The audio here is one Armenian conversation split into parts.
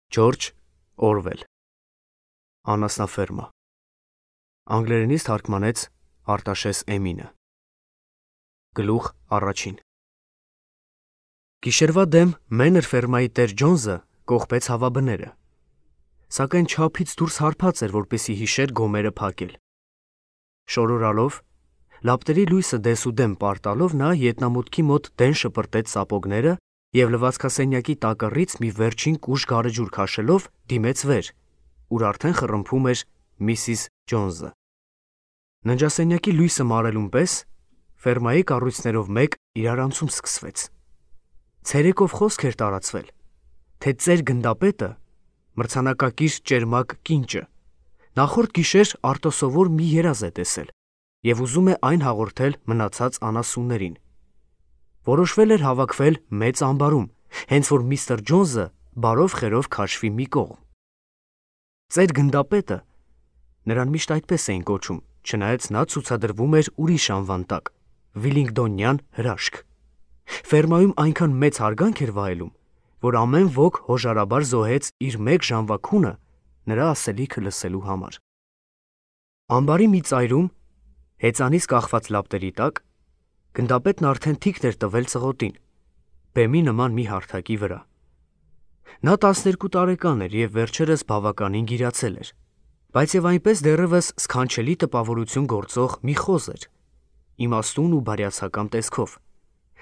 Ջորջ Օրվել Անասնաֆերմա Անգլերենից թարգմանեց Արտաշես Էմինը Գլուխ առաջին Գիշերվա դեմ Մենր ֆերմայի տեր Ջոնսը կողպեց հավաբները, սակայն չափից դուրս հարբած էր, որպեսզի հիշեր գոմերը փակել։ Շորորալով, լապտերի լույսը դեսուդեմ պարտալով նա ետնամուտքի մոտ դեն շպրտեց սապոգները և լվացքասենյակի տակառից մի վերջին կուժ գարեջուր քաշելով դիմեց վեր, ուր արդեն խռմփում էր Միսիս Ջոնսը։ Ննջասենյակի լույսը մարելուն պես ֆերմայի կառույցներով մեկ իրարանցում սկսվեց։ Ցերեկով խոսք էր տարածվել, թե ծեր գնդապետը, մրցանակակիր ճերմակ կինճը, նախորդ գիշեր արտոսովոր մի երազ է տեսել և ուզում է այն հաղորդել մնացած անասուններին։ Որոշվել էր հավաքվել մեծ ամբարում, հենց որ միստր Ջոնսը բարով խերով քաշվի մի կողմ։ Ծեր գնդապետը, նրան միշտ այդպես էին կոչում, չնայած նա ցուցադրվում էր ուրիշ անվան տակ, Վիլինգդոնյան հրաշք։ Ֆերմայում այնքան մեծ հարգանք էր վայելում, որ ամեն ոք հոժարաբար զոհեց իր մեկ ժամվա քունը նրա ասելիքը լսելու համար։ Ամբարի մի ծայրում, հեծանից կախված լապտերի տակ, գնդապետն արդեն թիքն էր տվել ծղոտին, բեմի նման մի հարթակի վրա։ Նա 12 տարեկան էր և վերջերս բավականին գիրացել էր, բայց և այնպես դեռևս սքանչելի տպավորություն գործող մի խոզ էր, իմաստուն ու բարյացակամ տեսքով,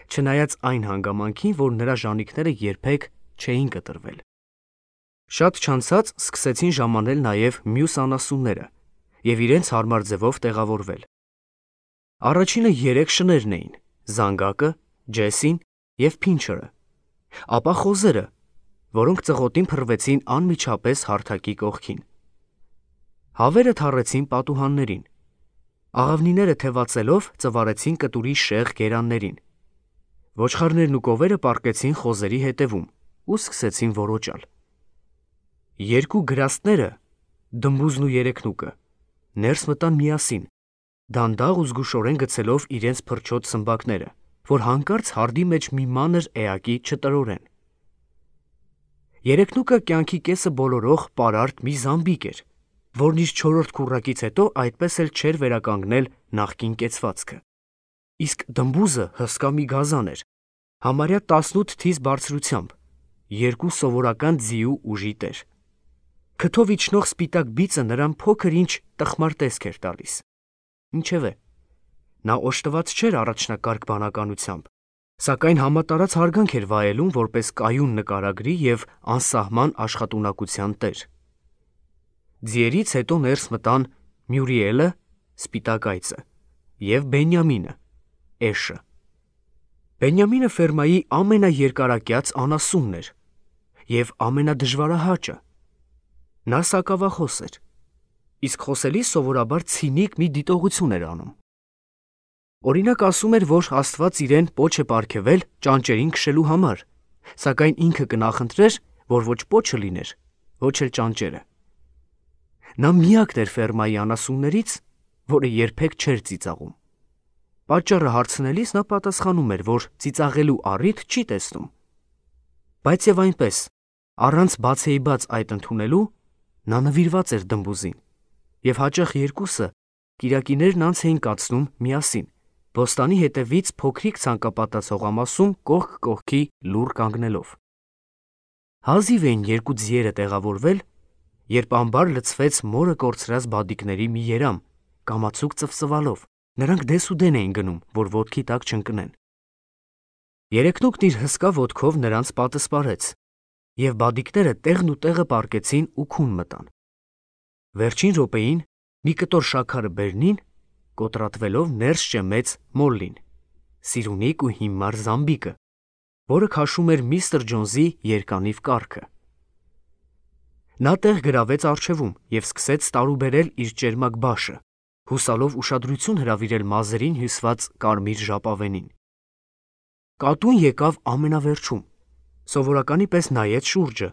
չնայած այն հանգամանքին, որ նրա ժանիքները երբեք չէին կտրվել։ Շատ չանցած սկսեցին ժամանել նաև մյուս անասունները և իրենց հարմար ձևով տեղավորվել։ Առաջինը 3 շներն էին՝ Զանգակը, Ջեսին և Փինչերը, ապա խոզերը, որոնք ծղոտին փռվեցին անմիջապես հարթակի կողքին։ Հավերը թառեցին պատուհաններին, աղավնիները թևածելով ծվարեցին կտուրի շեղ գերաններին, ոչխարներն ու կովերը պառկեցին խոզերի հետևում ու սկսեցին որոճալ։ Երկու գրաստները, Դմբուզն ու Երեքնուկը, ներս մտան միասին, դանդաղ ու զգուշորեն գցելով իրենց փրչոտ սմբակները, որ հանկարծ հարդի մեջ մի մանր էակի չտրորեն։ Երեքնուկը կյանքի կեսը բոլորող պարարտ մի զամբիկ էր, որն իր 4-րդ քուռակից հետո այդպես էլ չէր վերականգնել նախկին կեցվածքը։ Իսկ Դմբուզը հսկա մի գազան էր, համարյա 18 թիզ բարձրությամբ, 2 սովորական ձիու ուժի տեր։ Քթով իջնող սպիտակ բիծը նրան փոքր ինչ տխմար տեսք էր տալիս։ Ինչևէ, նա օժտված չէր առաջնակարգ բանականությամբ, սակայն համատարած հարգանք էր վայելում որպես կայուն նկարագրի և անսահման աշխատունակության տեր։ Ձիերից հետո ներս մտան Մյուրիելը, սպիտակ այծը, և Բենյամինը, էշը։ Բենյամինը ֆերմայի ամենաերկարակյաց անասունն էր և ամենադժվարահաճը։ Նա սակավախոս էր, իսկ խոսելիս սովորաբար ցինիկ մի դիտողություն էր անում։ Օրինակ ասում էր, որ Աստված իրեն պոչ է պարգևել ճանճերին քշելու համար, սակայն ինքը կնախընտրեր, որ ոչ պոչը լիներ, ոչ էլ ճանճերը։ Նա միակն էր ֆերմայի անասուններից, որը երբեք չէր ծիծաղում։ Պատճառը հարցնելիս նա պատասխանում էր, որ ծիծաղելու առիթ չի տեսնում։ Բայց և այնպես, առանց բացեիբաց այդ ընդունելու, նա նվիրված էր Դմբուզին, և հաճախ երկուսը կիրակիներն անց էին կացնում միասին, բոստանի հետևից փոքրիկ ցանկապատած հողամասում կողք կողքի լուռ կանգնելով։ Հազիվ էին երկու ձիերը տեղավորվել, երբ ամբար լցվեց մորը կորցրած բադիկների մի երամ, կամացուկ ծվծվալով, նրանք դեսուդեն էին գնում, որ ոտքի տակ չընկնեն։ Երեքնուկն իր հսկա ոտքով նրանց պատսպարեց, և բադիկները տեղն ու տեղը պառկեցին ու քուն մտան։ Վերջին րոպեին մի կտոր շաքարը բերնին, կոտրատվելով ներս ճեմեց Մոլլին, սիրունիկ ու հիմար զամբիկը, որը քաշում էր միստր Ջոնսի երկանիվ կառքը։ Նա տեղ գրավեց առջևում և սկսեց տարուբերել իր ճերմակ բաշը, հուսալով ուշադրություն հրավիրել մազերին հյուսված կարմիր ժապավենին։ Կատուն եկավ ամենավերջում, սովորականի պես նայեց շուրջը,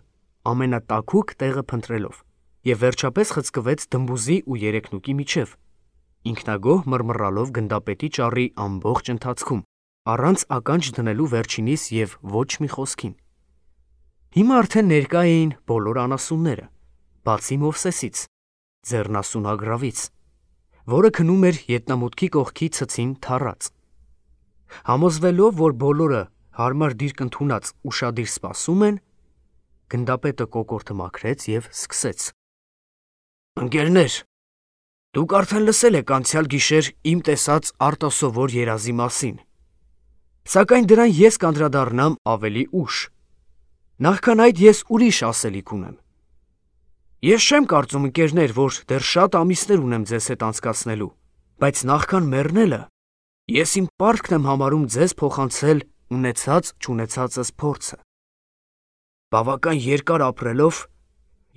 ամենատաքուկ տեղը փնտրելով, և վերջապես խցկվեց Դմբուզի ու Երեքնուկի միջև, ինքնագոհ մռմռալով գնդապետի ճառի ամբողջ ընթացքում, առանց ականջ դնելու վերջինիս և ոչ մի խոսքին։ Հիմա արդեն ներկա էին բոլոր անասունները, բացի Մովսեսից, ձեռնասուն Ագրավից, որը քնում էր ետնամուտքի կողքի ցցին թառած։ Համոզվելով, որ բոլորը հարմար դիրք ընդունած ուշադիր սպասում են, գնդապետը կոկորդը մաքրեց և սկսեց. «Ընկերներ, դուք արդեն լսել եք անցյալ գիշեր իմ տեսած արտասովոր երազի մասին, սակայն դրան ես կանդրադառնամ ավելի ուշ։ Նախքան այդ ես ուրիշ ասելիք ունեմ։ Ես չեմ կարծում, ընկերներ, որ դեռ շատ ամիսներ ունեմ ձեզ հետ անցկացնելու, բայց նախքան մեռնելը ես իմ պարտքն եմ համարում ձեզ փոխանցել ունեցած-չունեցածս փորձը։ Բավական երկար ապրելով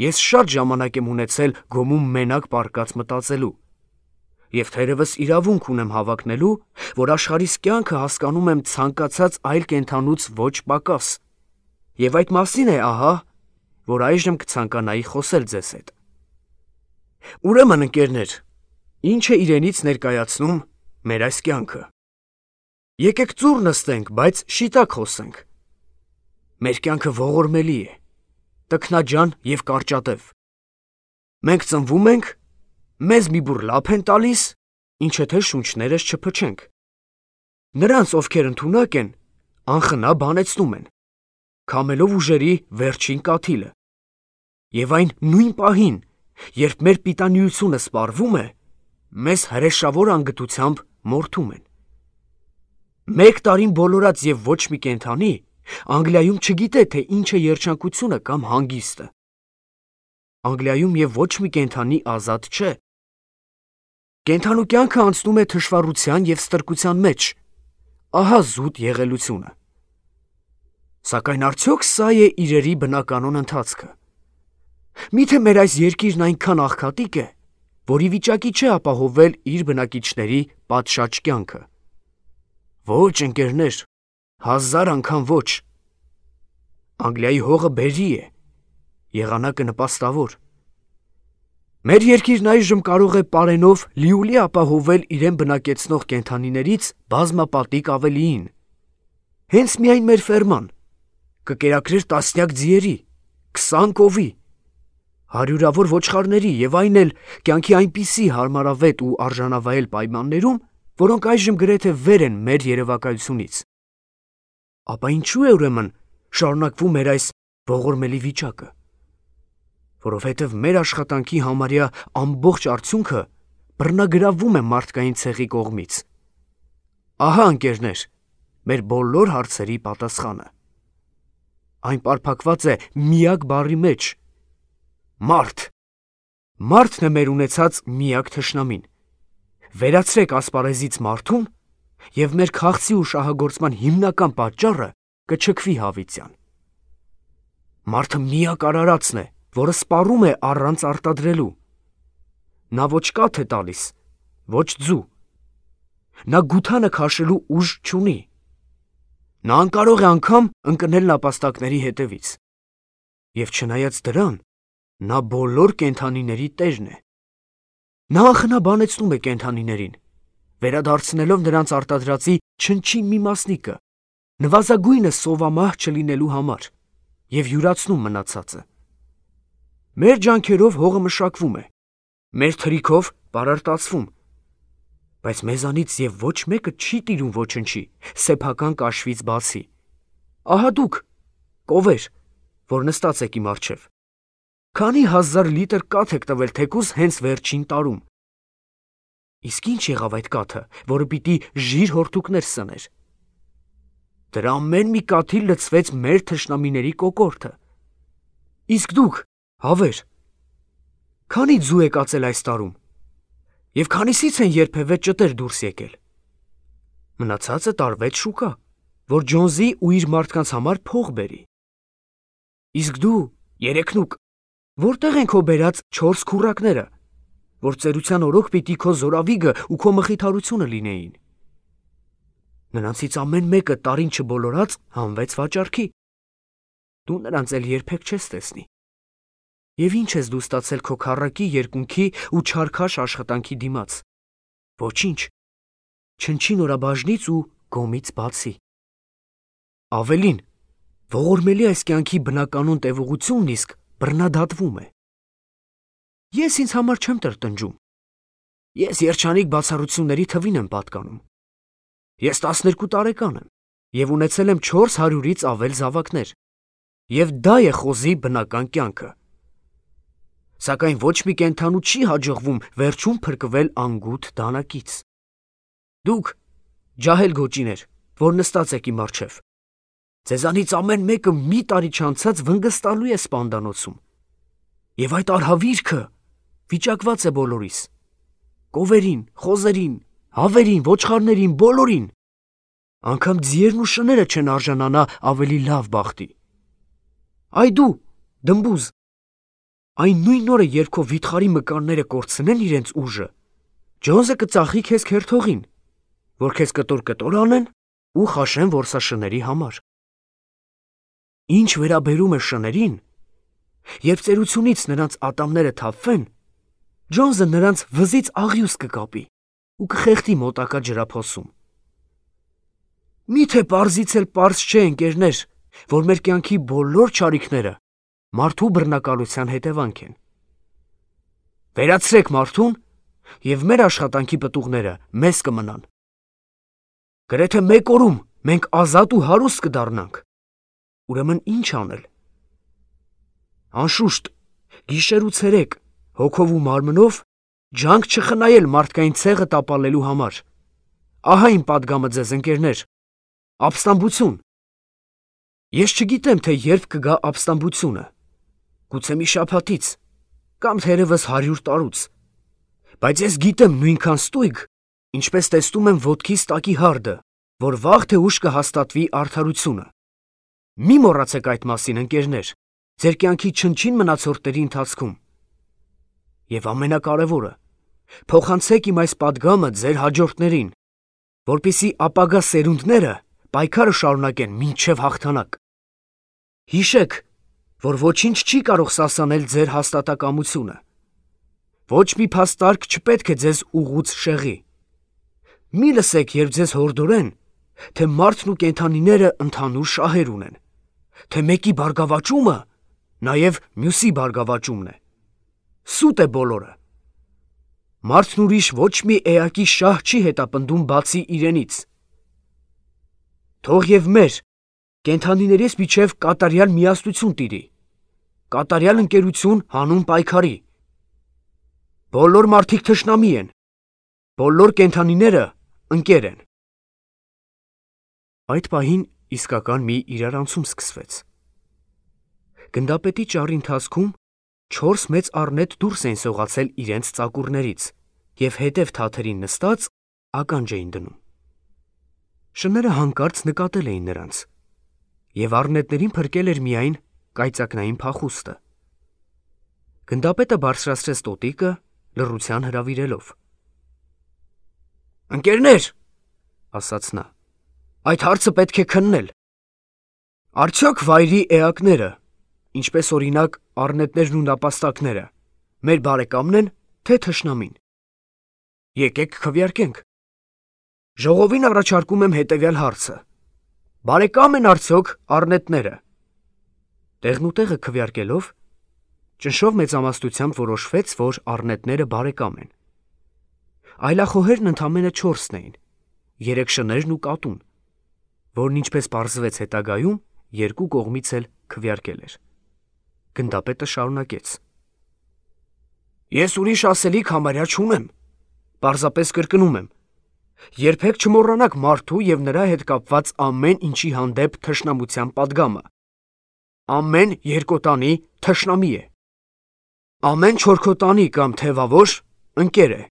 ես շատ ժամանակ եմ ունեցել գոմում մենակ պառկած մտածելու, և թերևս իրավունք ունեմ հավակնելու, որ աշխարհիս կյանքը հասկանում եմ ցանկացած այլ կենդանուց ոչ պակաս, և այդ մասին է ահա, որ այժմ կցանկանայի խոսել ձեզ հետ։ Ուրեմն, ընկերներ, ինչ է իրենից ներկայացնում մեր այս կյանքը։ Եկեք ծուռ նստենք, բայց շիտակ խոսենք։ Մեր կյանքը ողորմելի է, տքնաջան և կարճատև։ Մենք ծնվում ենք, մեզ մի բուռ լափ են տալիս, ինչը թե շունչներս չփչենք։ Նրանց, ովքեր ընդունակ են, անխնա բանեցնում են, քամելով ուժերի վերջին կաթիլը, և այն նույն պահին, երբ մեր պիտանիությունը սպառվում է, մեզ հրեշավոր անգթությամբ մորթում են։ 1 տարին բոլորած և ոչ մի կենդանի Անգլիայում չգիտե, թե ինչ է երջանկությունը կամ հանգիստը։ Անգլիայում և ոչ մի կենդանի ազատ չէ։ Կենդանու կյանքը անցնում է թշվառության և ստրկության մեջ, ահա զուտ եղելությունը։ Սակայն արդյոք սա է իրերի բնականոն ընթացքը։ Միթե մեր այս երկիրն այնքան աղքատիկ է, որ ի վիճակի չէ ապահովել իր բնակիչների պատշաճ կյանքը։ Ոչ, ընկերներ, 1000 անգամ ոչ։ Անգլիայի հողը բերրի է, եղանակը նպաստավոր։ Մեր երկիրն այժմ կարող է պարենով լիուլի ապահովել իրեն բնակեցնող կենդանիներից բազմապատիկ ավելիին։ Հենց միայն մեր ֆերման կկերակրեր տասնյակ ձիերի, 20 կովի, հարյուրավոր ոչխարների և այն էլ կյանքի այնպիսի հարմարավետ ու արժանավայել պայմաններում, որոնք այժմ գրեթե վեր են մեր երևակայությունից։ Ապա ինչու է ուրեմն շարունակվում մեր այս ողորմելի վիճակը։ Որովհետև մեր աշխատանքի համարյա ամբողջ արդյունքը բռնագրավվում է մարդկային ցեղի կողմից։ Ահա, ընկերներ, մեր բոլոր հարցերի պատասխանը։ Այն պարփակված է միակ բառի մեջ՝ մարդ։ Մարդն է մեր ունեցած միակ թշնամին։ Վերացրեք ասպարեզից մարդուն, և մեր քաղցի ու շահագործման հիմնական պատճառը կչքվի հավիտյան։ Մարդը միակ արարածն է, որը սպառում է առանց արտադրելու։ Նա ոչ կաթ է տալիս, ոչ ձու։ Նա գութանը քաշելու ուժ չունի։ Նա անկարող է անգամ ընկնել նապաստակների հետևից։ Եվ չնայած դրան, նա բոլոր կենդանիների տերն է։ Նա անխնա բանեցնում է կենդանիներին, վերադարձնելով նրանց արտադրածի չնչին մի մասնիկը, նվազագույնը սովամահ չլինելու համար, և յուրացնում մնացածը։ Մեր ջանքերով հողը մշակվում է, մեր թրիքով պարարտացվում, բայց մեզանից և ոչ մեկը չի տիրում ոչնչի, սեփական կաշվից բացի։ Ահա դուք, կովեր, որ նստած եք իմ առջև, քանի 1000 լիտր կաթ եք տվել թեկուզ հենց վերջին տարում։ Իսկ ինչ եղավ այդ կաթը, որը պիտի ժիր հորտուկներ սներ։ Դրա ամեն մի կաթիլ լցվեց մեր թշնամիների կոկորդը։ Իսկ դուք, հավեր, քանի ձու եք ածել այս տարում, և քանիսից են երբևէ ճտեր դուրս եկել։ Մնացածը տարվեց շուկա, որ Ջոնսի ու իր մարդկանց համար փող բերի։ Իսկ դու, երեքնուկ, որտեղ են քո բերած 4 քուռակները, որ ծերության օրոք պիտի քո զորավիգը ու քո մխիթարությունը լինեին։ Նրանցից ամեն մեկը տարին չբոլորած հանվեց վաճառքի։ Դու նրանց էլ երբեք չես տեսնի։ Եվ ինչ ես դու ստացել քո քառակի երկունքի ու չարքաշ աշխատանքի դիմաց։ Ոչինչ, չնչին օրաբաժնից ու գոմից բացի։ Ավելին, Ողորմելի այս կյանքի բնականոն տևողությունն իսկ բռնադատվում է։ Ես ինձ համար չեմ տրտնջում։ Ես երջանիկ բացառությունների թվին եմ պատկանում։ Ես 12 տարեկան եմ և ունեցել եմ 400-ից ավել զավակներ, և դա է խոզի բնական կյանքը։ Սակայն ոչ մի կենդանու չի հաջողվում վերջում փրկվել անգութ դանակից։ Դուք, ջահել գոճիներ, որ նստած եք իմ առջև, ձեզանից ամեն մեկը մի տարի չանցած վնգստալու է սպանդանոցում, և այդ արհավիրքը վիճակված է բոլորիս, կովերին, խոզերին, հավերին, ոչխարներին, բոլորին, անգամ ձիերն ու շները չեն արժանանա ավելի լավ բախտի։ Այ դու, դմբուզ, այն նույն օրը, երբ քո վիթխարի մկանները կորցնեն իրենց ուժը, Ջոնսը կծախի քեզ քերթողին, որ քեզ կտոր անեն ու խաշեն որսաշների համար։ Ինչ վերաբերում է շներին, երբ ծերությունից նրանց ատամները թափվեն, Ջոնսը նրանց վզից աղյուս կկապի ու կխեղդի մոտակա ջրափոսում։ Միթե պարզից էլ պարզ չէ, ընկերներ, որ մեր կյանքի բոլոր չարիքները մարդու բռնակալության հետևանք են։ Վերացրեք մարդուն, և մեր աշխատանքի պտուղները մեզ կմնան։ Գրեթե մեկ օրում մենք ազատ ու հարուստ կդառնանք։ Ուրեմն ինչ անել։ Անշուշտ, գիշեր ու ցերեկ, հոգով ու մարմնով ջանք չխնայել մարդկային ցեղը տապալելու համար։ Ահա իմ պատգամը ձեզ, ընկերներ, ապստամբություն։ Ես չգիտեմ, թե երբ կգա ապստամբությունը, գուցե մի շաբաթից, կամ թերևս 100 տարուց, բայց ես գիտեմ նույնքան ստույգ, ինչպես տեսնում եմ ոտքիս տակի հարդը, որ վաղ թե ուշ կհաստատվի արդարությունը։ Մի մոռացեք այդ մասին, ընկերներ, ձեր կյանքի չնչին մնացորդների ընթացքում։ Եվ ամենակարևորը, փոխանցեք իմ այս պատգամը ձեր հաջորդներին, որպեսզի ապագա սերունդները պայքարը շարունակեն մինչև հաղթանակ։ Հիշեք, որ ոչինչ չի կարող սասանել ձեր հաստատակամությունը։ Ոչ մի փաստարկ չպետք է ձեզ ուղուց շեղի։ Մի լսեք, երբ ձեզ հորդորեն, թե մարդն ու կենդանիները ընդհանուր շահեր ունեն, թե մեկի բարգավաճումը նաև մյուսի բարգավաճումն է։ Սուտ է բոլորը։ Մարդն ուրիշ ոչ մի էակի շահ չի հետապնդում բացի իրենից։ Թող և մեր, կենդանիներից միջև կատարյալ միասնություն տիրի, կատարյալ ընկերություն հանուն պայքարի։ Բոլոր մարդիկ թշնամի են, բոլոր կենդանիները ընկեր են։ Այդ պահին իսկական մի իրարանցում սկսվեց։ Գնդապետի ճառի ընթացքում 4 մեծ առնետ դուրս էին սողացել իրենց ծակուրներից և հետև թաթերին նստած ականջ էին դնում։ Շները հանկարծ նկատել էին նրանց, և առնետներին փրկել էր միայն կայծակնային փախուստը։ Գնդապետը բարձրացրեց տոտիկը, լռության հրավիրելով։ «Ընկերներ», ասաց նա, «այդ հարցը պետք է քննել։ Արդյոք վայրի էակները, ինչպես օրինակ առնետներն ու նապաստակները, մեր բարեկամն են, թե թշնամին։ Եկեք քվեարկենք։ Ժողովին առաջարկում եմ հետևյալ հարցը. բարեկամ են արդյոք առնետները»։ Տեղնուտեղը քվեարկելով, ճնշով մեծամասնությամբ որոշվեց, որ առնետները բարեկամ են։ Այլախոհերն ընդամենը 4-ն էին, 3 շներն ու կատուն, որն ինչպես պարզվեց հետագայում, երկու կողմից էլ քվեարկել էր։ Գնդապետը շարունակեց. «Ես ուրիշ ասելիք համարյա չունեմ, պարզապես կրկնում եմ. երբեք չմոռանաք մարդու և նրա հետ կապված ամեն ինչի հանդեպ թշնամության պատգամը։ Ամեն երկոտանի թշնամի է։ Ամեն չորքոտանի կամ թևավոր ընկեր է։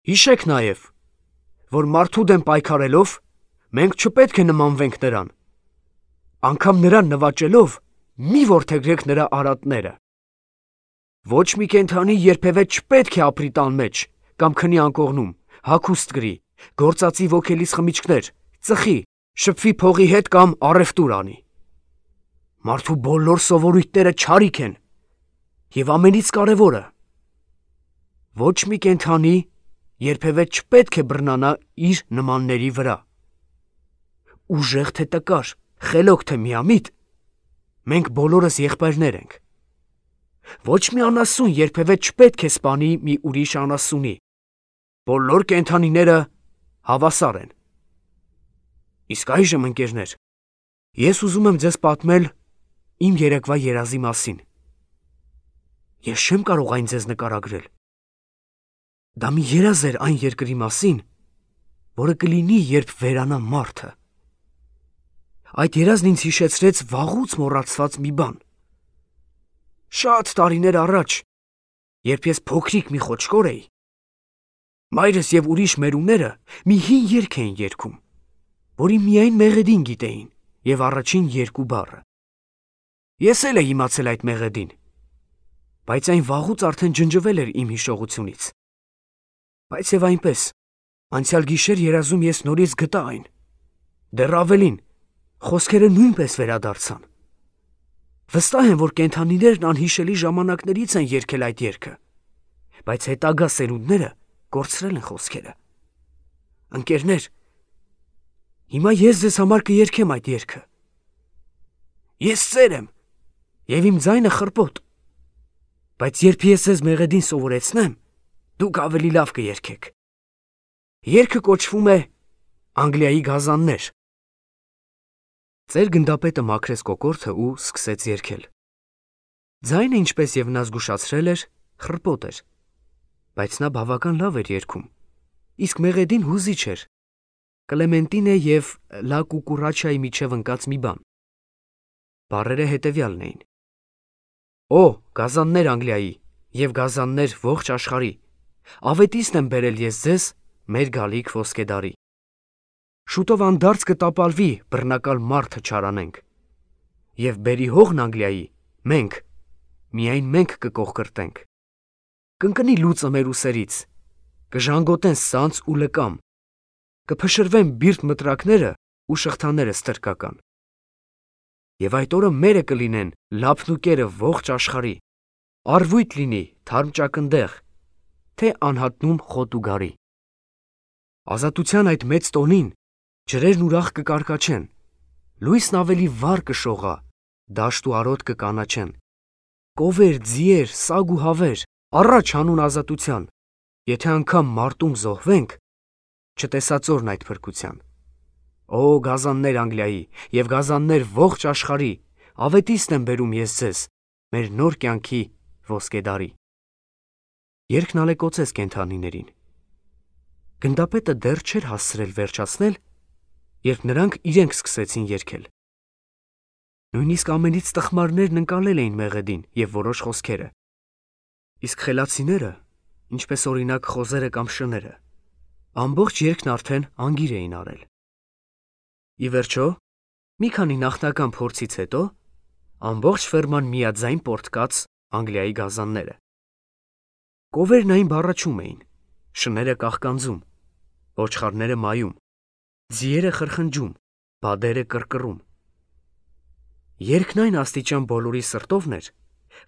Հիշեք նաև, որ մարդու դեմ պայքարելով մենք չպետք է նմանվենք նրան։ Անգամ նրան նվաճելով մի որդեգրեք նրա արատները։ Ոչ մի կենդանի երբևէ չպետք է ապրի տան մեջ կամ քնի անկողնում, հագուստ կրի, գործածի ոգելից խմիչքներ, ծխի, շփվի փողի հետ կամ առևտուր անի։ Մարդու բոլոր սովորույթները չարիք են, և ամենից կարևորը, ոչ մի կենդանի երբևէ չպետք է բռնանա իր նմանների վրա։ Ուժեղ թե տկար, խելոք թե միամիտ, մենք բոլորս եղբայրներ ենք։ Ոչ մի անասուն երբևէ չպետք է սպանի մի ուրիշ անասունի։ Բոլոր կենդանիները հավասար են։ Իսկ այժմ, ընկերներ, ես ուզում եմ ձեզ պատմել իմ երեկվա երազի մասին։ Ես չեմ կարող այն ձեզ նկարագրել։ Դա մի երազ էր այն երկրի մասին, որը կլինի, երբ վերանա մարդը։ Այդ երազն ինձ հիշեցրեց վաղուց մոռացված մի բան։ Շատ տարիներ առաջ, երբ ես փոքրիկ մի խոչկոր էի, մայրս և ուրիշ մերուները մի հին երգ էին երգում, որի միայն մեղեդին գիտեին և առաջին երկու բառը։ Ես էլ էի իմացել այդ մեղեդին, բայց այն վաղուց արդեն ջնջվել էր իմ հիշողությունից։ Բայց և այնպես, անցյալ գիշեր երազում ես նորից գտա այն։ Դեռ ավելին, խոսքերը նույնպես վերադարձան։ Վստահ եմ, որ կենդանիներն անհիշելի ժամանակներից են երգել այդ երգը, բայց հետագա սերունդները կորցրել են խոսքերը։ Ընկերներ, հիմա ես ձեզ համար կերգեմ այդ երգը։ Ես ծեր եմ, և իմ ձայնը խռպոտ, բայց երբ ես ձեզ մեղեդին սովորեցնեմ, դուք ավելի լավ կերգեք։ Երգը կոչվում է «Անգլիայի գազաններ»։ Ծեր գնդապետը մաքրեց կոկորդը ու սկսեց երգել։ Ձայնը, ինչպես և նա զգուշացրել էր, խռպոտ էր, բայց նա բավական լավ էր երգում, իսկ մեղեդին հուզիչ էր, Կլեմենտինե և լա կուկուրաչայի միջև ընկած մի բան։ Բառերը հետևյալն էին. Օ, գազաններ Անգլիայի և գազաններ ողջ աշխարհի, ավետիսն եմ բերել ես ձեզ մեր գալիք ոսկեդարի։ Շուտով անդարձ կտապալվի բռնակալ մարդը չարանենք, և բերի հողն Անգլիայի մենք, միայն մենք կկողկրտենք։ Կընկնի լուծը մեր ուսերից, կժանգոտեն սանձ ու լկամ, կփշրվեն բիրտ մտրակները ու շղթաները ստրկական։ Եվ այդ օրը մերը կլինեն լափն ու կերը ողջ աշխարհի, արվույթ լինի թարմ ճակնդեղ, թե անհատնում խոտ ու գարի։ Ազատության այդ մեծ տոնին ջրերն ուրախ կկարկաչեն, լույսն ավելի վառ կշողա, դաշտ ու արոտ կկանաչեն, կովեր, ձիեր, սագ ու հավեր, առաջ հանուն ազատության, եթե անգամ մարտում զոհվենք, չտեսածորն այդ փրկության։ Օ, գազաններ Անգլիայի և գազաններ ողջ աշխարհի, ավետիսն եմ բերում ես ձեզ մեր նոր կյանքի ոսկեդարի։ Երգն ալեկոծեց կենդանիներին։ Գնդապետը դեռ չէր հասցրել վերջացնել, երբ նրանք իրենք սկսեցին երգել։ Նույնիսկ ամենից տխմարներն ընկալել էին մեղեդին և որոշ խոսքերը, իսկ խելացիները, ինչպես օրինակ խոզերը կամ շները, ամբողջ երգն արդեն անգիր էին արել։ Ի վերջո, մի քանի նախնական փորձից հետո, ամբողջ ֆերման միաձայն պոռթկաց Անգլիայի գազանները։ Կովերն այն բառաչում էին, շները կաղկանձում, ոչխարները մայում, ձիերը խրխնջում, բադերը կռկռում։ Երգն այն աստիճան բոլորի սրտովն էր,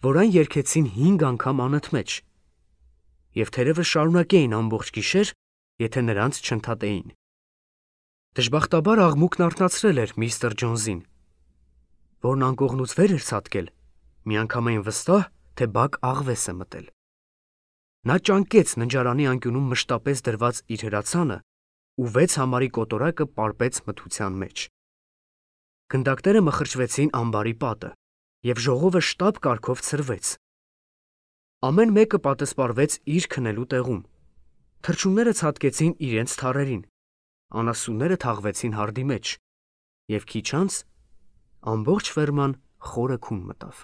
որ այն երգեցին 5 անգամ անընդմեջ, և թերևս շարունակեին ամբողջ գիշեր, եթե նրանց չընդհատեին։ Դժբախտաբար աղմուկն արթնացրել էր միստր Ջոնսին, որն անկողնուց վեր էր ցատկել, միանգամայն վստահ, թե բակ աղվես է մտել։ Նա ճանկեց ննջարանի անկյունում մշտապես դրված իր հրացանը ու 6 համարի կոտորակը պարպեց մթության մեջ։ Գնդակները մխրճվեցին ամբարի պատը, և ժողովը շտապ կարգով ցրվեց։ Ամեն մեկը պատսպարվեց իր քնելու տեղում։ Թռչունները ցատկեցին իրենց թառերին, անասունները թաղվեցին հարդի մեջ, և քիչ անց ամբողջ ֆերման խորը քուն մտավ։